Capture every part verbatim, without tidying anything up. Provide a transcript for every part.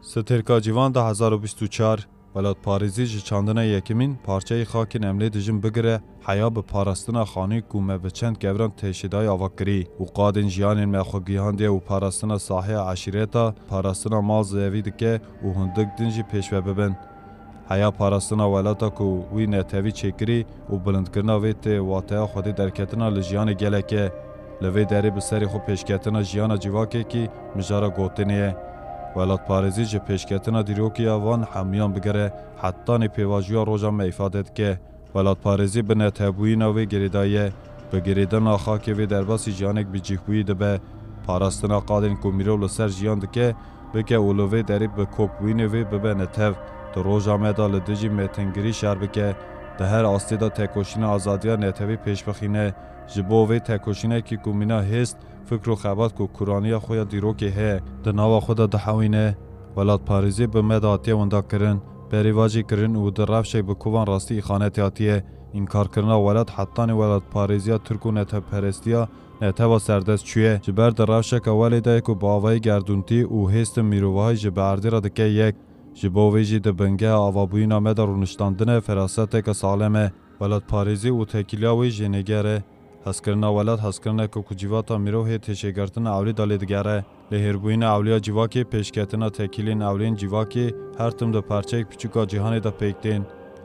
Stêrka Cîvan du hezar û bîst û çar, welatparêzî ji çandina yekemîn parçeyê xakên em lê dijin bigire heya bi parastina xanî ku me bi çend keviran têşêdayî ava kirî û qadên jiyanên me xwe gihandiye û parastina sahiya eşîreta, parastina mal zevî dike û hundik din jî pêşve bibin. Heya parastina welata ku wî netewî çêkirî û bilindkirina vê tê wateya xwedî derketina li jiyanê gelek e. Li vê derê bi serê xwe pêşketina jiyana civakekî mijara gotinê ye. Welatparêzî ji pêşketina dîrokî ya van hemûyan bigere hetanî pêvajoya roja me îfade dike. Welatparêzî bi netewbûyîna vê girêdayî ye. Bi girêdana xakê vê derbasî jiyanek bicîhbûyî dibe. Parastina qadên ku mirov li ser jiyan dike, bike û li vê derê bi kokbûyînê vê bibe netew, di roja me de li dijî mêtingirî şer bike, di her astê de tekoşîna azadiya netewî pêş bixîne. Ji bo vê tekoşînekî ku mîna hêst, fikr û xebat ku kuraniya xwe ya dîrokê heye, di nava xwe de dihewîne. Welatparêzî bi me de hatiye winda kirin, berî va jî kirin û di rewşek bi kovan rastî îxanetê hatiye. Înkarkirina welat hetanî welatparêziya tirk û netewperestiya netewa serdest çûye. Ji ber di rewşeke welê de ye ku bi avayî gerdûntî û hêstin mirovahî ji bi erdê re dike yek. Ji bo vê jî di bingeha avabûyîna me de rûniştandine feraseteke saxlem e. Welatparêzî û tekîliya wê jênêger e. Hezkirina welat hezkirineke ku civata mirov hê têşêgirtina ewlî de lê digere. Lêhêrbûyîna ewliya civakê, pêşketina tekîlên ewliyên civakê her tim di parçeyek piçûka cîhanê de pêk tên.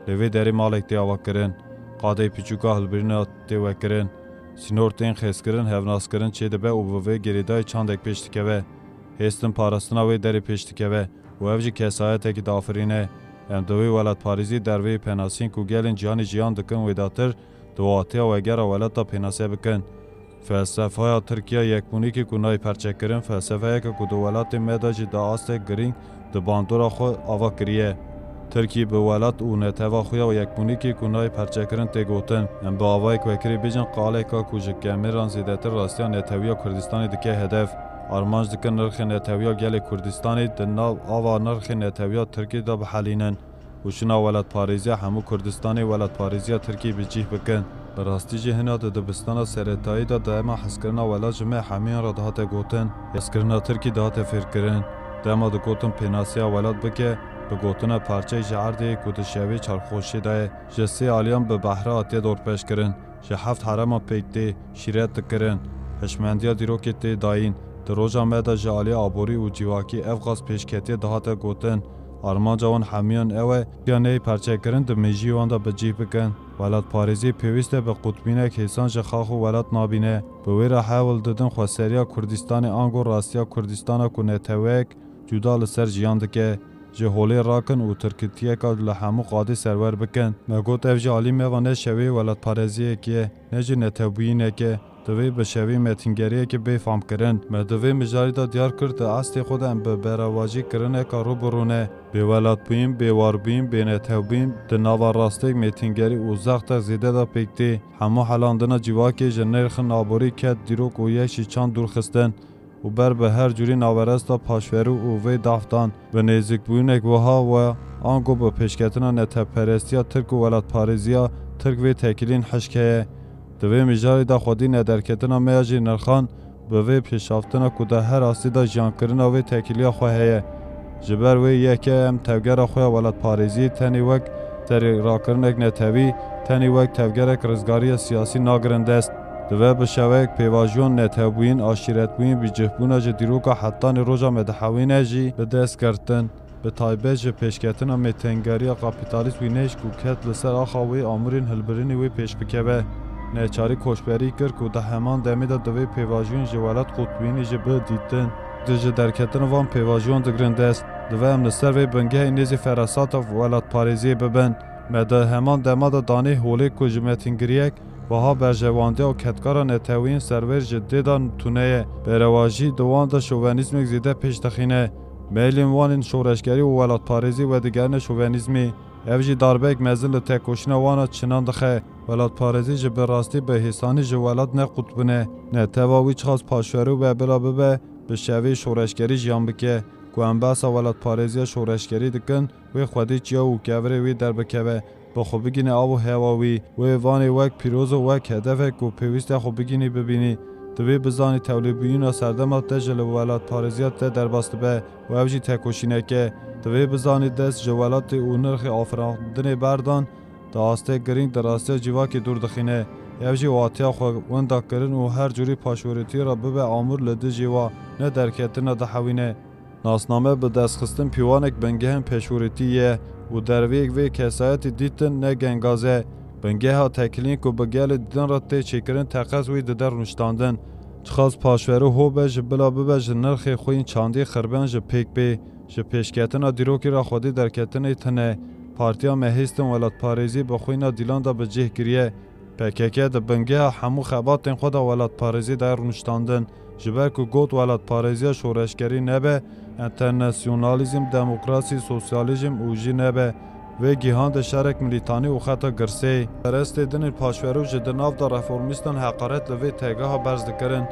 Li vê derê malek tê avakirin. Qadeyê piçûka hilbirîna tê vekirin. Sînor tên xêzkirin, hevnaskirin çêdibe û bi vê girêdayî çandek pêş dikeve. Hêstin parastina wê derê pêş dikeve û ev jî kesayetekî diafirîne. Em di wê welatparêzî derveyî penasîn ku gelên cîhanê jiyan dikin wêdatir, di wateya wegera welat de pênase bikin. Felsefeya Tirk ya yekbûnîkê ku nayê perçekirin, felsefeyeke ku di welatê me de jî di astek girîng di bandora xwe ava kiriye. Tirkî bi welat û netewa xwe ya yekbûnîkê ku nayê perçekirin tê gotin. Em bi avayek vekirî bêjin qaleka ku ji kemêran zêdetir rastiya netewiya Kurdistanê dike hedef. Armanc dikin nirxê netewiya gelê Kurdistanê di nav ava nirxê netewiya Tirkê de bihelînin. Û şina welatparêziya hemû Kurdistanê welatparêziya Tirkî bi cih bikin. Bi rastî jî hina di dibistana seretayî de dema hezkirina welat ji me hemûyan re dihate gotin, hezkirina Tirkî dihate fêrkirin. Dema digotin pênasiya welat bike, bi gotina parçeyek ji erdê ku di şevê çarxoşê de ye, ji sê aliyan bi behre hatiye dorpêçkirin. Ji heft hereman pêk tê, şîret dikirin, hişmendiya dîrokê tê dayîn. Di roja me de ji alî aborî û civakî ev qas pêşketiyê dihate gotin. Armanca wan hemiyan ew e, ya neyê perçekirin di mêjiyê wan de bi cih bikin. Welatparêzî pêwîst e bi qutbînek hêsan ji xax û welat nabîne. Bi wê re hewl didin xweseriya Kurdistanê ango rastiya Kurdistana ku neteweyek cuda li ser jiyan dike, ji holê rakin û tirkitiyeka li hemû qadê serwer bikin. Me got ev ji alî me ve ne şevê welatparêziyekê ye, ne jî netewbûyînekê. Divê bi şevê mêtingeriyekê bê famkirin. Me di vê mijarê de diyar kir di astê xwe de em bi berevajî kirineka rû bi rû ne. Bêwelatbûyîn, bêwarbûyîn, bênetewbûyîn di nava rastêk mêtingerî û zextek zêde de pêk tê. Hemû helandina civakê ji nirxên aborî ket dîrok û yek jî çand dûr xistin. û ber bi her cûrî naweresta paşverû û vê daf dan. Bi nêzîkbûyînek wiha we ango bi pêşketina netewperestiya Tirk û welatparêziya Tirk vê tekîlîn hişk heye. Di vê mijarê de xwedî nederketina me ya jî nirxan bi vê pêşaftina ku di her astî de jiyankirina vê tekîliya xwe heye. Ji ber wê yekê em tevgera xwe ya welatparêziyê tenê wek serê rakirinek netewî, tenê wek tevgerek rizgariya siyasî nagirin dest. Divê bi şevek pêvajoyan netewbûyîn, aşîretbûyîn, bicihbûna ji dîroka hetanî roja me dihewîne jî bi dest girtin. Bi taybet ji pêşketina mêtengeriya kapîtalîst wî nêşk û ket li ser axa wê amûrên hilbirinê wê pêş bikeve. Neçarî koçberî kir ku di heman demê de divê pêvajoyan ji welat qutbînî jî bidîtin. Di ji derketina van pêvajoyan digirin dest. Divê em li ser vê bingehê nêzî ferasata welatparêziyê bibin. Me di heman dema de danê holê ku ji mêtingiriyek wiha berjewandiya û ketkara neteweyên serwêr ji dê de tune ye. Berevajî di wan de şovenîzmek zêde pêş dixîne. Meylên wan ên şoreşgerî û welatparêzî wedigerine şovenîzmê. Ev jî darbeyek mezin li tekoşîna wan a çinan dixe. Welatparêzî ji bi rastî bi hêsanî ji welat ne qutbin e. Netewa wî çiqas paşverû be bila bibe, bi şevê şoreşgerî jiyan bike. Ku em behsa welatparêziya şoreşgerî dikin, wê xwedî çiya û kevirê wî derbikeve, bi xwe bigîne av û hewa wî. Wê vanê wek pîroz û wek hedefek ku pêwîst e xwe bigînî bibînî. Divê bizanî tewlêbûyîna serdema te ji li welatparêziya te derbas dibe û ev jî tekoşînek e. Divê bizanî dest ji welatê û nirxê afirandinê berdan, di astê girîng di rastiya civakê dûr dixîne. Ev jî watiya xwe winda kirin û her cûrî paşwerûtiyê re bibe amûr li dijî wa, ne derketina dihewîne. Nasname bi destxistin pîwanek bingehên pêşwerûtî ye û derveyek vê kesayetî dîtin ne gengaz e. Bingeha tekilîn ku bi gelê din re tê çêkirin teqez wî dide rûniştandin. Çiqas paşverû ho be ji bila bibe ji nirxê xwîn çandî xirben ji pêk bê. Ji pêşketina dîrokî re xwedî derketinê tune. Partiya me hêstin welatparêzî bi xwîna dîlan de bi cih kiriye. P K K di bingeha hemû xebatên xwe de welatparêzî daye rûniştandin. Ji ber ku got welatparêziya şoreşgerî nebe, enternasyonalîzm, demokrasî, sosyalîzm û jî nebe. Vê gihan de şerek milîtanî û xeta girsê. Perestê dinên paşverû ji di nav de reformîstan heqaret li vê têgeha berz dikirin.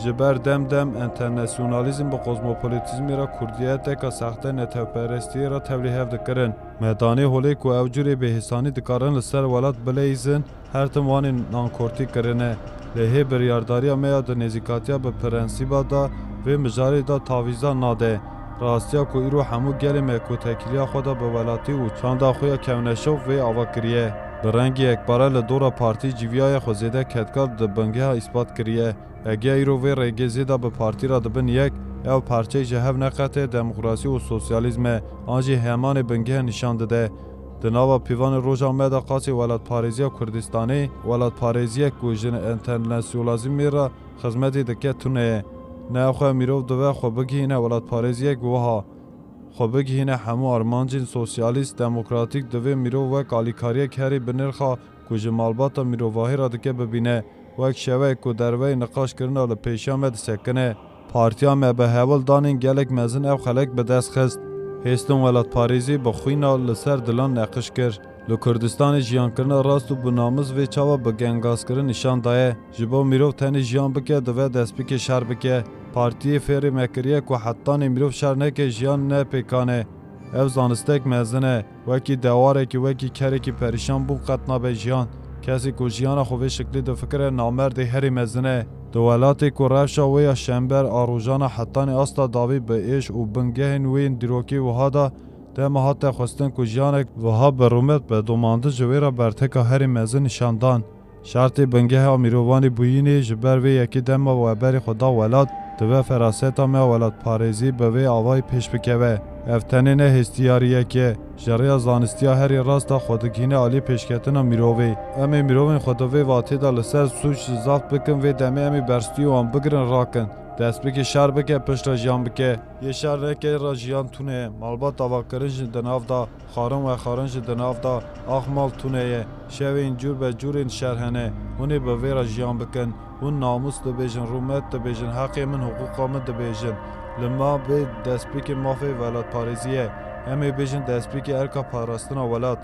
Ji ber dem dem enternasyonalîzm bi kozmopolitîzmê re kurdiyeteke sexte netewperestiyê re tevlî hev dikirin. Me danê holê ku ew curê bêhêsanî dikarin li ser welat bileyzin, her tim wanê nankortî kirine. Lê hê biryardariya me ya di nêzîkatiya bi prensîba de vê mijarê de tavîza nade. Rastiya ku îro hemû gelê me ku tekiliya xwe de bi welatî û çanda xwe ya kevneşov vê ava kiriye. Bi rengî yekpare li dora partî cîviyaye xwe zêde kedkar di bingeha îspat kiriye. Eger îro vê rêgê zêde bi partî re dibin yek, ew parçeyê ji hev neqetê demokrasî û sosyalîzm e, an jî hemanê bingeh nîşan dide. Di nava pîvanê roja me de qasî welatparêziya Kurdistanê, welatparêziyek ku ji enternasyonalîzmê re xizmetê dike tune ye. Ne xwe mirov divê xwe bigihîne welatparêziyek wiha. Xwe bigihîne hemû armancên sosyalîst, demokratîk, divê mirov wek alîkariyek herî binirxa ku ji malbata mirovahî re dike bibîne, wek şevek ku derveyî niqaşkirina li pêşiya me disekine. Partiya me bi hewl danên gelek mezin ev xelek bi dest xist. Hêstin welatparêzî bi xwîna li ser dilan neqiş kir. Li Kurdistanê jiyankirina rast û bi namis vê çawa bi gengazkirin nîşan daye. Ji bo mirov tenê jiyan bike, divê destpêkê şer bike. Partiyê fêrê me kiriye ku hetanê mirov şer neke, jiyan ne pêkan e. Ev zanistek mezin e. Wekî dewarekî, wekî kerekî perîşan bûn qet nabe jiyan. Kesê ku jiyana xwe vê şiklî difikire, namerdê herî mezin e. Di welatê ku rewşa wê ya şember a rojana hetanî asta dawî bi êş û bingehên wê yên dîrokî wiha de, dema hate xwestin ku jiyanek wiha bi rûmet bedomandin ji wê re berteka herî mezin nîşan dan. Şertê bingeha mirovanî bûyînê ji ber vê yekê dema we berê xwe da welat, divê feraseta me welatparêzî bi vê avayî pêş bikeve. Ev tenê ne hêstiyariyek e. Ji rêya zanistiya herî rast de xwe digihîne alî pêşketina mirovê. Em ê mirovên xwe di vê vatê de li ser sûc zaf bikin, vê demê em ê berstûyê wan bigirin rakin. Destpêkê şer bike, piştre jiyan bike. Yê şer neke re jiyan tune ye. Malbat avakirin jî di nav de. Xwarin vexwarin jî di nav de, ax mal tune ye. Şevên cûr be cûrên şer hene. Hûn ê bi vê re jiyan bikin. Hûn namûs dibêjin, rûmet dibêjin, heqê min, hiqûqa min dibêjin. Li ma bê destpêkê mafê welatparêzî ye. Em ê bêjin destpêkê erka parastina welat.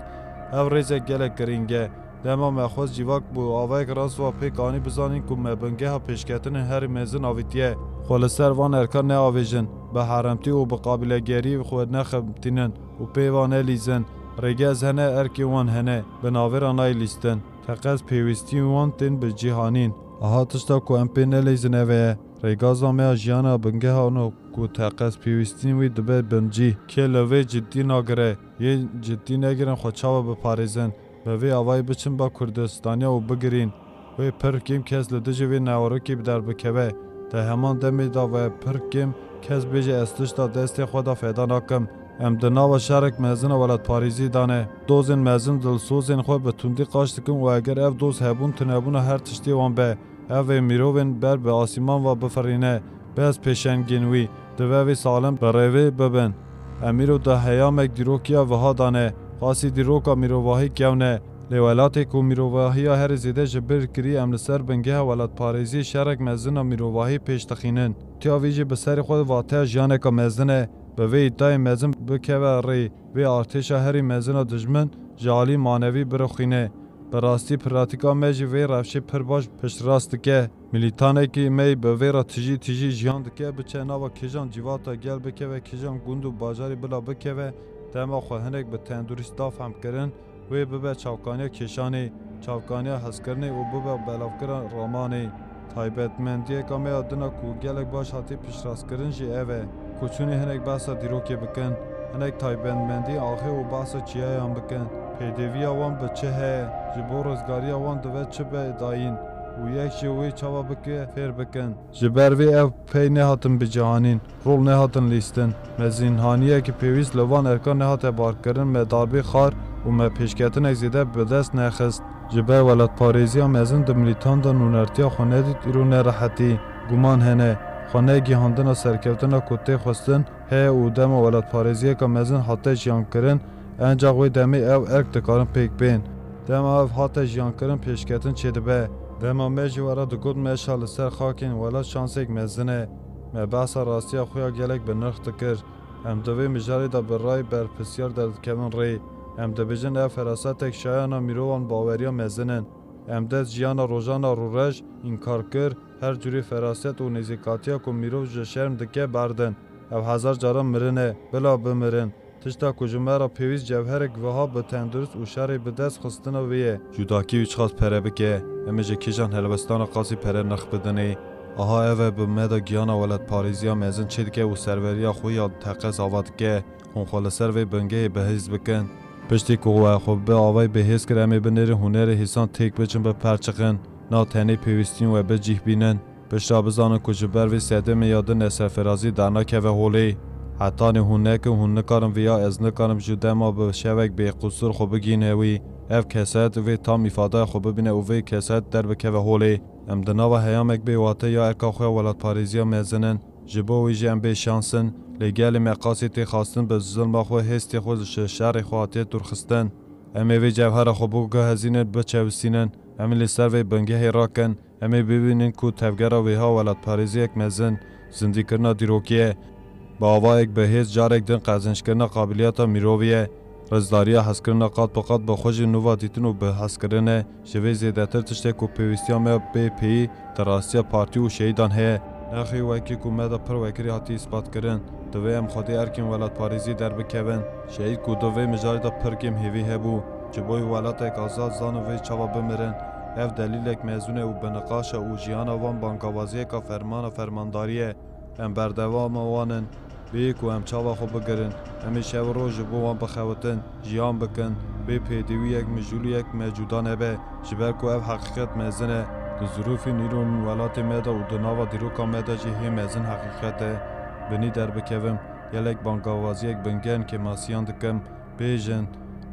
Ev rêzek gelek girîng e. Dema me xwest civak bi avayek rast ve pêk anî bizanîn ku me bingeha pêşketinên herî mezin avîtiye. Xwe li ser van erkan neavêjin, bi heremtî û bi qabîlegeriyê xwe nexebitînin û pê van nelîzin. Rêgez hene, erkê wan hene, bi navê re nayê lîstin. Teqez pêwîstiyên wan tên bi cih anîn. Aha tişta ku em pê neleyzin ev e. Rêgaza me ya jiyana bingeha no ku teqez pêwîstiyên wî dibe bin cih. Kê li vê cidî nagire, yê cidî negirin xwe çawa biparêzin? Bi vê avayî biçin ba Kurdistaniya û bigirîn. Wê pir kêm kes li dijî vê newarokê bi derbikeve. Di heman demê de ve pir kêm kes bêje ez tişta destê xwe de feda nakim. Em di nava şerek mezin a welatparêzî de ne. Dozên mezin dilsozên xwe bi tundî qaç dikin û eger ev doz hebûn tunebûna her tiştê wan be, ev ê mirovên ber bi asîman ve bifirîne. Bes pêşengên wî, divê vê salem bi rêvê bibin. Em îro di heyamek dîrokiya wiha de ne, qasî dîroka mirovahî kewn e. Lê welatê ku mirovahiya herî zêde ji bîr kirî, em li ser bingeha welatparêziyê şerek mezin a mirovahî pêş dixînin. Tiya vî jî bi serê xwe vateya jiyaneke mezin e. Bi vê îdayê mezin bikeve rê, vê artêşa herî mezin a dijmin ji alî manevî birixîne. Bi rastî pratîka me jî vê rewşê pir baş piştrast dike. Milîtanekî me yî bi vê re tijî tijî jiyan dike, biçe nava kêjan civata gel, bikeve kêjan gund û bajarî bila bikeve, dema xwe hinek bi tendurîsta fehmkirin, wê bibe çavkaniya kêşanê, çavkaniya hezkirinê û bibe belavkira ramanê. Taybetmendiyeka me ya din a ku gelek baş hatî piştrastkirin jî ev e, ku çûnî hinek behsa dîrokê bikin, hinek taybetmendî axê û behsa çiyayan bikin. Pêdiviya wan bi çi heye, ji bo rizgariya wan dibe çi be dayîn û yek ji wê çawa bike fêr bikin. Ji ber vê ev pey nehatin bicihanîn, rol nehatin lîstin. Mezinhaniyekî pêwîst li van erkan nehate barkirin, me darbê xwar û me pêşketinek zêde bi dest nexist. Ji ber welatparêziya mezin di milîtan de nûnertiya xwe nedît, îro nerehetî, guman hene. Xwe negihandina serkeftina ku tê xwestin heye û dema welatparêziyeka mezin hate jiyankirin, encax wê demê ev erk dikarin pêk bên. Dema ev hate jiyankirin pêşketin çêdibe. Dema me jî we re digot meşa li ser xakên welat şansek mezin e. Me behsa rastiya xwe ya gelek bi nirx dikir. Em di vê mijarê de bi rayê berpirsiyar derdikevin rê. Em dibêjin ev ferasetek şayana mirovan baweriya mezin in. Em dest jiyana rojana rûreş, înkarkir, her cûrê feraset û nêzîkatiya ku mirov ji şerm dike berdin. Ev hezar caran mirin e, bila bimirin. Tişta ku ji me re pêwîst cewherek wiha bi tendurist û şerê bi dest xistina wê ye. Cudakî wî çiqas pere bike, em ê ji kîjan helwestana qasî pere nirx bidinê? Aha ev e bi me de giyana welatparêziya mezin çêdike û serweriya xwe ya teqez ava dike. Hûn xwe li ser vê bingehê bihêz bikin. Piştî ku we xwe bi avayî bihêz kir, em ê binêrin hunerê hêsan têk biçin biperçiqin. Na tenê pêwîstiyên we bi cih bînin. Pişta bizanin ku ji ber vê sedemê ya din e serfirazî dernakeve holê. Hetanî hûn nekin, hûn nikarin viya ez nikarim ji dema bi şevek bêqusûr xwe bigihîne wî. Ev keset vê tam îfadaya xwe bibîne û vê keset derbikeve holê. Em di nava heyamek bê wate ya erka xwe ya welatparêziya mezin in. Ji bo wî jî em bê şans in, lê gelê me qasî tê xwestin bi zilma xwe, hêstê xwe ji şerê xwe hatiye dûrxistin. Em ê vê cewhera xwe biguhezînin, biçewisînin. Em ê li ser vê bingehê rakin. Em ê bibînin ku tevgera wêha welatparêziyek mezin, zindîkirina dîrokî ye. Bi avayek bihêz carek din qezenckirina qabiliyeta mirovî ye. Rizdariya hezkirina qat bi qat bi xwe jî nûva dîtin û bi hezkirin e. Ji vê zêdetir tiştê ku pêwîstiya me bê pêyî di rastiya partî û şehîdan heye. Nexê wekî ku me de pir wekirî hatiye îspat kirin, divê em xwedî erkên welatparêzî derbikevin. Şehîd ku di vê mijarê de pir kêm hêvî hebû, ji bo welatek azad zanin vê çawa bimirin. Ev delîlek mezûn e û bi niqaş e û jiyana wan bangawaziyeka fermana fermandarî ye. Em berdewama wan in. Bê ku em çava xwe bigirin, em ê şev û roj ji bo wan bixewitin, jiyan bikin. Bê pêdiviyek, mijûliyek me cuda nebe, ji ber ku ev heqîqet mezin e. Di zirûfên îro welatê me de û di nava dîroka me de jî hê mezin heqîqet e. Binî derbikevim, gelek bangawaziyek bingehên kêmasiyan dikim. Bêjin,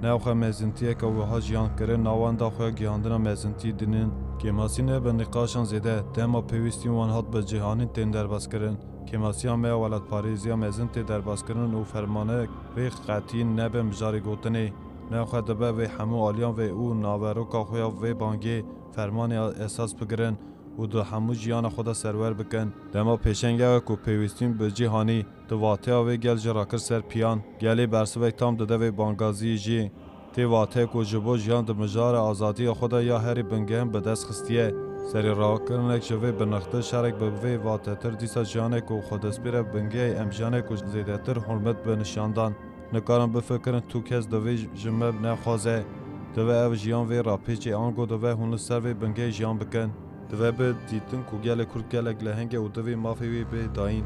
newxe mezintiyeke wiha jiyan kirin, navenda xwe ya gihandina mezintî dinin. Kêmasî ne bi nîqaşan zêde, dema pêwîstiyên wan hat bi cîhanîn tên derbas kirin. Kêmasiya me ya welatparêziya mezin tê derbas kirin û fermanek vê qetî nebe mijarê gotinê. Newxe dibe vê hemû aliyan vê û naveroka xwe ya vê bangê fermanê esas bigirin û di hemû jiyana xwe de serwer bikin. Dema pêşeng ew e ku pêwîstiyên bi cîhanî di wateya vê gel jî rakir ser piyan. Gelê bersivek tam dide vê bangaziyê jî. Tê wate ku ji bo jiyan di mijara azadiya xwe de ya herî bingehên bi dest xistiye. Serê rakirinek ji vê binixtir şerek bi vê watetir dîsa jiyanek ku xwedestpêre bingehê em jiyanek ku zêdetir hurmet bi nişandan. Nikarin bifikirin tu kes divê ji me nexwaze. Divê ev jiyan vê rapêçê ango divê hûn li ser vê bingehê jiyan bikin. Divê bi dîtin ku gelê Kurd gelek leheng e û divê mafê wê bê dayîn.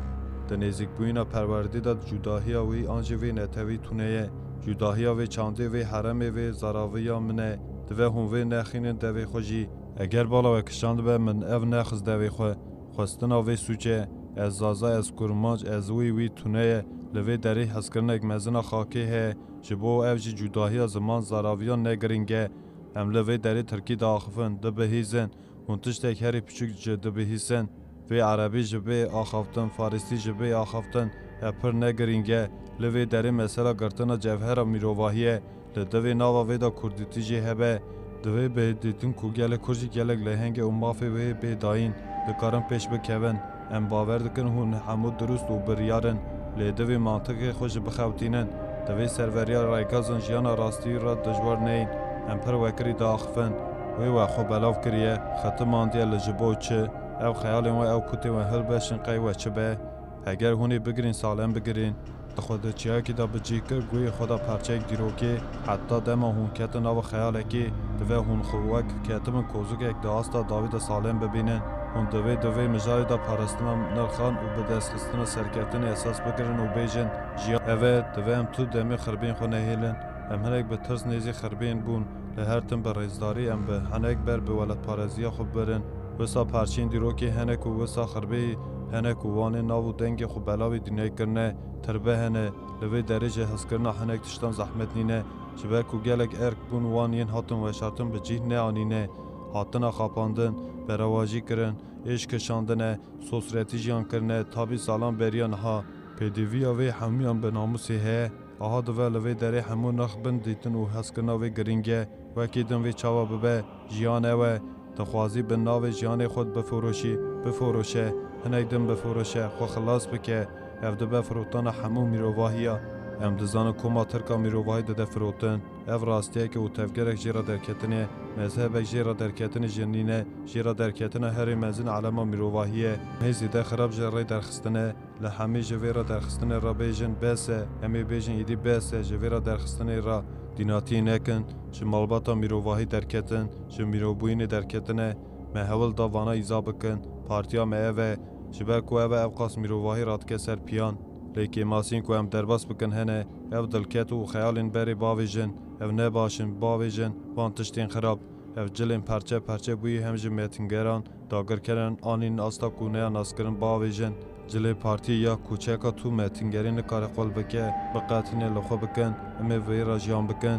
Di nêzîkbûyîna perwerdê de cudahiya wî an jî vê netewî tune ye. Cudahiya vê çandê, vê heremê, vê zaraviya min e. Divê hûn vê nexînin devê xwe jî. Eger bala we kişandibe, min ev nexist devê xwe. Xwestina vê sûc e. Ez zaza, ez kurmanc, ez wî, wî tune ye. Li vê derê hezkirinek mezin a xakê heye. Ji bo ev jî cudahiya ziman zaraviyan ne girîng e. Em li vê derê tirkî diaxifin, dibihîzin. Hûn tiştek herî piçûk jî dibihîsin. Vê erebî ji bê axaftin, farîsî ji bê axaftin, ev pir ne girîng e. Li vê derê mesela girtina cevhera mirovahî ye. Li divê nava vê de kurdîtî jî hebe. Divê bê dîtin ku gelê kurd jî gelek leheng e û mafê wê bê dayîn. Dikarin pêş bikevin. Em bawer dikin hûn hemû dirust û biryar in. Lê divê mantiqê xwe jî bixewtînin. Divê serveriya rêgazên jiyana rastî re dijwar neyên. Em pir wekirî diaxifin. Wê we xwe belav kiriye, xetimandiye li ji bo çi? Ev xeyalên we, ew kutên we hilbeşin qey we çi be? Heger hûn ê bigirîn, salem bigirîn. Di xwe di çiyayekî de bi cih kir, guhê xwe de parçeyek dîrokê, heta dema hûn ketin nava xeyalekê, divê hûn xwe wek ketibin kozikek di asta dawî de salem bibînin. Hûn divê di vê mijarê de parastina nirxan û bi destxistina serkeftinê esas bigirin û bêjin, jiyan ev e, divê em tu demê xirbiyên xwe nehêlin. Em hinek bi tirs nêzî xirbiyên bûn. Li her tim bi rêzdarî em bi hinek ber bi welatpareziya xwe birin. Wisa parçeyên dîrokê hene ku wisa xirbeyî hene ku wanê nav û dengê xwe belavê dinyayê kirine, tirbe hene. Li vê derê jî hezkirina hinek tiştan zehmet nîne. Ji ber ku gelek erk bûn wan yên hatin weşartin bi cih neanîne. Hatina xapandin, berevajî kirin, êş kişandine, sosretî jiyan kirine, tabî salan beriya niha. Pêdiviya vê hemûyan bi namûsê heye. Aha dive li vê derê hemû nirx bin dîtin û hezkirina wê girîng e. Wekî din vê çawa bibe, jiyan ew e. Dixwazî bi navê jiyanê xwe bifiroşî, bifiroşe, hinek din bifiroşe, xwe xilas bike. Ev dibe firotana hemû mîrovahiya. Em dizanin koma Tirka mîrovahî dide firotin. Ev rastiyeke û tevgerek jê re derketinê, mezhebek jê re derketinê jî nîne, jê re derketina herî mezin elema mîrovahî ye. Hê zêde xirab ji rê derxistine. Li hemî ji vê re derxistinê re bêjin bes e, em ê bêjin êdî bes e, ji vê re derxistinê re dînatiyê nekin, ji malbata mîrovahî derketin, ji mîrobûyînê derketine, me hewl da vana îza bikin, partiya me ev e, ji ber ku ev e ev qas mîrovahî radike ser piyan. Lê kêmasiyên ku em derbas bikin hene, ev dilket û xeyalên berê bavêjin, ev ne baş in, bavêjin, van tiştên xirab, ev cilên perçe perçe bûyî hem ji metingeran, dagirkeran anîn asta ku neya naskirin bavêjin. Cilê partiyê ya ku çeka tu metingerî nikare qul bike, biqetîne li xwe bikin, em ê vê re jiyan bikin.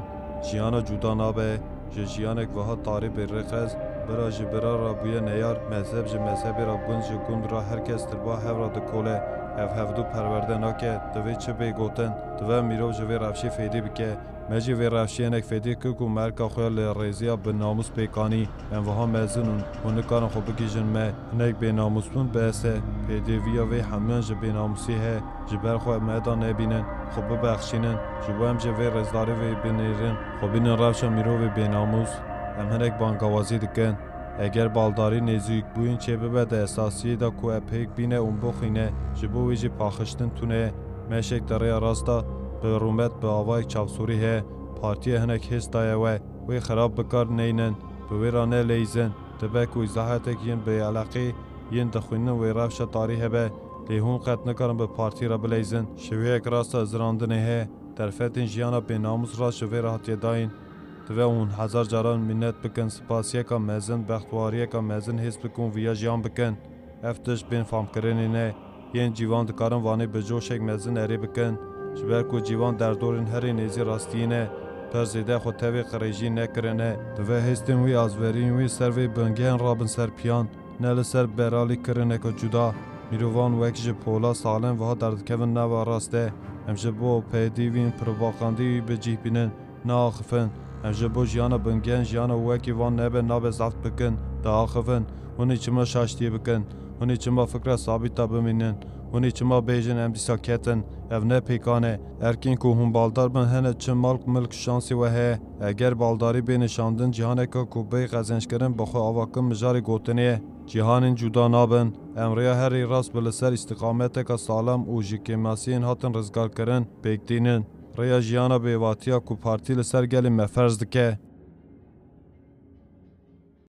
Jiyana cuda nabe. Ji jiyanek wiha tarî bê rêxez, bira ji bira re bûye neyar, mezheb ji mezhebê re, gund ji gund re, her kes tirba hev re dikole. Ev hevdû perwerde nake, divê çi bê gotin? Divê mirov ji vê rewşê fêdî bike. Me jî vê rewşê hinek fêdî kir ku me erka xwe ya li rêziya bi namûs pêk anî. Em wiha mezin in, hûn nikarin xwe bigihîjin me. Hinek bênamûs bûn bes e. Pêdiviya vê hemûyan ji bênamûsî heye. Ji ber xwe me da nebînin, xwe bibexşînin. Ji bo em jî vê rêzdarî vê binêrin, xwe bînin rewşa mirovê bênamûs. Em hinek bangawazî dikin. Eger baldarî nêzîkbûyîn çêbibe di esasiyê de ku e pêk bîne û bixwîne, ji bo wî jî paxiştin tune ye. Meşek di rêya rast de bi rûmet bi avayek çavsorî heye. Partiyê hinek hêz daye we, wê xirab bi kar neynin, bi wê re neleyîzin. Dibe ku îzahetek yên bêeleqî yên dixwînin wê rewşa tarî hebe, lê hûn qet nikarin bi partî re bileyzin. Şêweyek rast e zirandinê heye. Derfetên jiyana bênamûs rast ji vê re hatiye dayîn. Divê hûn hezar caran mînet bikin, spasiyeka mezin, bextwariyeka mezin hês bikin û viya jiyan bikin. Ev tişt bên famkirinê ne. Yên cîvan dikarin vanê bi coşek mezin erê bikin. Ji ber ku cîvan derdorên herî nêzî rastiyê ne, pir zêde xwe tevî qirêjî nekirine. Divê hêstên wî azveriyên wî ser vê bingehên rabin ser piyan. Ne li ser beralîkirineke cuda. Mirovan wek ji pola salên wiha derdikevin nava rast e. Em ji bo pêdivîn propagandî wî bi cih bînin, neaxifin. Em ji bo jiyana bingehên jiyana wekî van nebe nabe zeft bikin, diaxifin. Hûn ê çima şaştiyê bikin? Hûn ê çima fikra sabîta bimînin? Hûn ê çima bêjin em dîsa ketin? Ev ne pêkan e. Erkên ku hûn baldar bin hene çi mal milk şansê we heye. Eger baldarî bê nişandin cîhaneke ku bê qezençkirin bi xwe avakin mijarê gotinê ye. Cîhanên cuda nabin. Em rêya herî rast bi li ser îstiqameteke salam û ji kêmasiyên hatin rizgarkirin pêk tînin. Rêya jiyana bêvatiya ku partî li ser gelê me ferz dike.